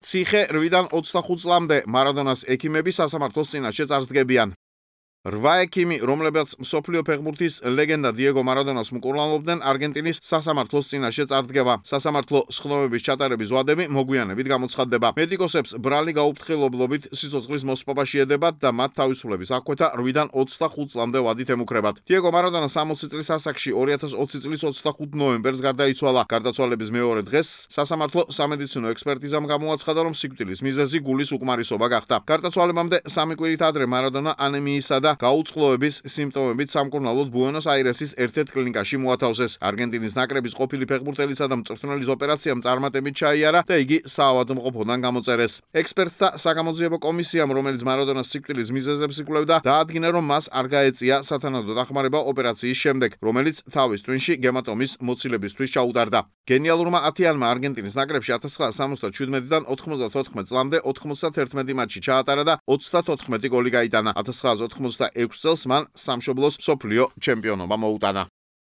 ციხე 8-დან 25 წლამდე მარადონას ექიმები სასამართლოს წინაშე წარსდგებიან. 8 ექიმი, რომლებიც მსოფლიო ფეხბურთის ლეგენდა დიეგო მარადონას მკურნალობდნენ, არგენტინის სასამართლოს წინაშე წარსდგება. სასამართლო სხდომების ჩატარების ვადები მოგვიანებით გამოცხადდება. მედიკოსებს ბრალი გაუფრთხილებლობით სიცოცხლის მოსპობა შეედებათ და მათ თავისუფლების აღკვეთა 8-დან 25 წლამდე ვადით ემუქრებათ. დიეგო მარადონა 60 წლის ასაკში 2020 წლის 25 ნოემბერს გარდაიცვალა. გარდაცვალების მეორე დღეს სასამართლო სამედიცინო ექსპერტიზამ გამოაცხადა, რომ სიკვდილის მიზეზი გულის უკმარისობა გახდა. გარდაცვალებამდე 3 კვირით ადრე მარადონა ანემიისა და გაუწყლოების სიმპტომებით სამკურნალოდ ბუენოს-აირესის ერთ-ერთ კლინიკაში მოათავსეს. არგენტინის ნაკრების ყოფილი ფეხბურთელისა და მწვრთნელის ოპერაციამ წარმატებით ჩაიარა და იგი საავადმყოფოდან გამოწერეს. ექსპერტთა საგამოძიებო კომისიამ, რომელიც მარადონას სიკვდილის მიზეზებს იკვლევდა, დაადგინა, რომ მას არ გაეწია სათანადო დახმარება ოპერაციის შემდეგ, რომელიც თავის ტვინში გემატომის მოცილებისთვის ჩაუტარდა. გენიალურმა ათიანმა არგენტინის ნაკრებში 1977-დან 94 წლამდე 91 მატჩი ჩაატარა და 34 გოლი გაიტანა. 1986 წელს მან სამშობლოს მსოფლიო ჩემპიონობა მოუტანა.